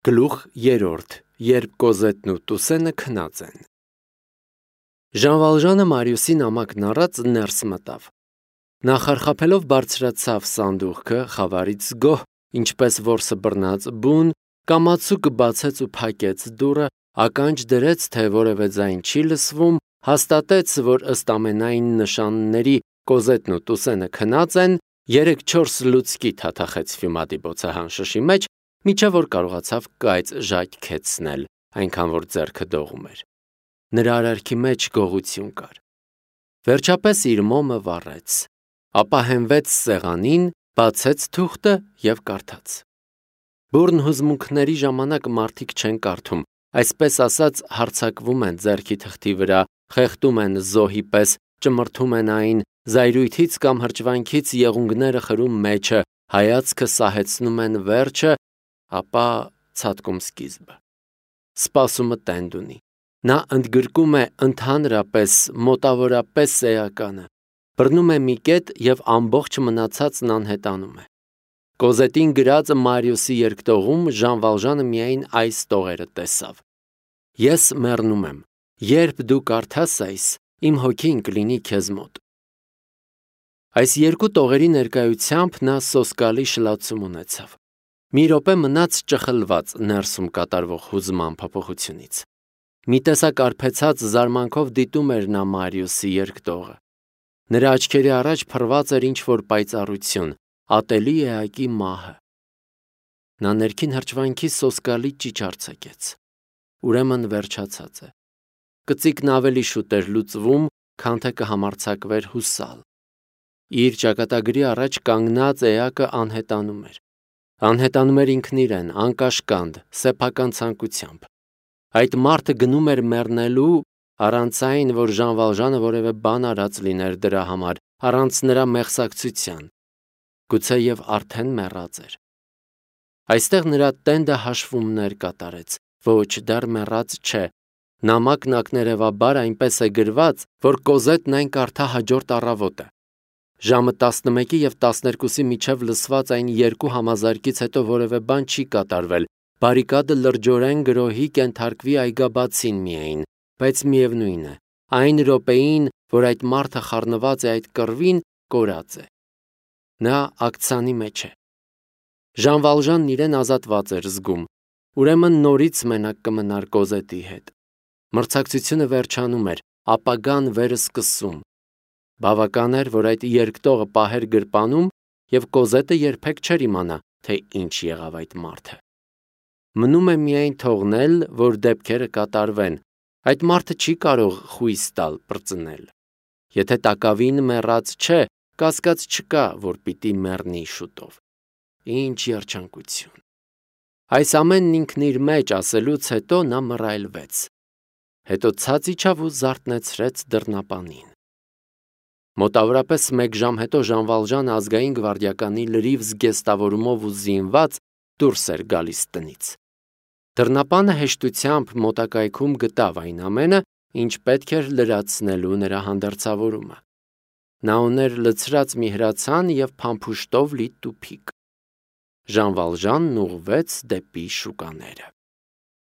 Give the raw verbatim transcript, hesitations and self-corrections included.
Գլուխ երրորդ, երբ Կոզետն ու Տուսենը քնած են։ Ժան Վալժանը Մարիուսի նամակն առած ներս մտավ։ Նա խարխափելով բարձրացավ սանդուղքը, խավարից գոհ, ինչպես որսը բռնած բուն, կամացուկ բացեց ու փակեց դուռը, ականջ դրեց, թե որևէ ձայն չի լսվում, հաստատեց, որ ըստ ամենայն նշանների Կոզետն ու Տուսենը քնած են, երեք-չորս լուցկի թաթախեց Ֆյումադի բոցահանշշի մեջ, մինչև որ կարողացավ կայծ ժայթքեցնել, այնքան որ ձեռքը դողում էր։ Նրա արարքի մեջ գողություն կար։ Վերջապես իր մոմը վառեց, ապա հենվեց սեղանին, բացեց թուղթը և կարդաց։ Բուռն հուզմունքների ժամանակ մարդիկ չեն կարդում, այսպես ասած հարձակվում են ձեռքի թղթի վրա, խեղդում են զոհի պես, ճմրթում են այն, զայրույթից կամ հրճվանքից եղունգները խրում մեջը, հայացքը սահեցնում են վերջը, ապա ցատկում սկիզբը։ Սպասումը տենդ ունի։ Նա ընդգրկում է ընդհանրապես, մոտավորապես էականը, բռնում է մի կետ և ամբողջ մնացածն անհետանում է։ Կոզետին գրած Մարիուսի երկտողում Ժան Վալժանը միայն այս տողերը տեսավ. Ես մեռնում եմ, երբ դու կարդաս այս, իմ հոգին կլինի քեզ մոտ։ Այս երկու տողերի ներկայությամբ նա սոսկալի շլացում ունեցավ։ Մի րոպե մնաց ճխլված ներսում կատարվող հուզման փոփոխությունից։ Մի տեսակ արբեցած զարմանքով դիտում էր նա Մարիուսի երկտողը։ Նրա աչքերի առաջ փռված էր ինչ-որ պայծառություն, ատելի էակի մահը։ Նա ներքին հրճվանքի սոսկալի ճիչ արձակեց։ Ուրեմն վերջացած է։ Կծիկն ավելի շուտ էր լուծվում, քան թե կհամարձակվեր հուսալ։ Իր ճակատագրի առաջ կանգնած էակը անհետանում էր։ Անհետանում էր ինքն իրեն, անկաշկանդ, սեփական ցանկությամբ։ Այդ մարդը գնում էր մեռնելու, առանց այն, որ Ժան Վալժանը որևէ բան արած լիներ դրա համար, առանց նրա մեղսակցության։ Գուցեև արդեն մեռած էր։ Այստեղ նրա տենդը հաշվումներ կատարեց, ոչ դեռ մեռած չէ։ Նամակն ակներևաբար այնպես է գրված, որ Կոզետն այն կարդա հաջորդ առավոտը։ Ժամը տասնմեկի և տասներկուսի միջև լսված այն երկու համազարկից հետո որևէ բան չի կատարվել, բարիկադը լրջորեն գրոհի կենթարկվի այգաբացին միայն, բայց միևնույն է, այն րոպեին, որ այդ մարդը խառնված է այդ կռվին, կորած է։ Նա ակցանի մեջ է։ Ժան Վալժանն իրեն ազատված էր զգում, ուրեմն նորից մենակ կմնար Կոզետի հետ։ Մրցակցությունը վերջանում էր, ապագան վերսկսում։ Բավական էր, որ այդ երկտողը պահեր գրպանում, և Կոզետը երբեք չէր իմանա, թե ինչ եղավ այդ մարդը։ Մնում է միայն թողնել, որ դեպքերը կատարվեն, այդ մարդը չի կարող խույս տալ պրծնել։ Եթե տակավին մեռած չէ, կասկած չկա, որ պիտի մեռնի շուտով։ Ինչ երջանկություն։ Այս ամենն ինքն իր մեջ ասելուց հետո նա մռայլվեց։ Հետո ցած իջավ ու զարթնեցրեց դռնապանին։ Մոտավորապես մեկ ժամ հետո Ժան Վալժանը ազգային գվարդիականի լրիվ զգեստավորումով ու զինված դուրս էր գալիս տնից։ Դռնապանը հեշտությամբ մոտակայքում գտավ այն ամենը, ինչ պետք էր լրացնելու նրա հանդերձավորումը։ Նա ուներ լցրած մի հրացան և փամփուշտով լի տուփիկ։ Ժան Վալժանն ուղղվեց դեպի շուկաները։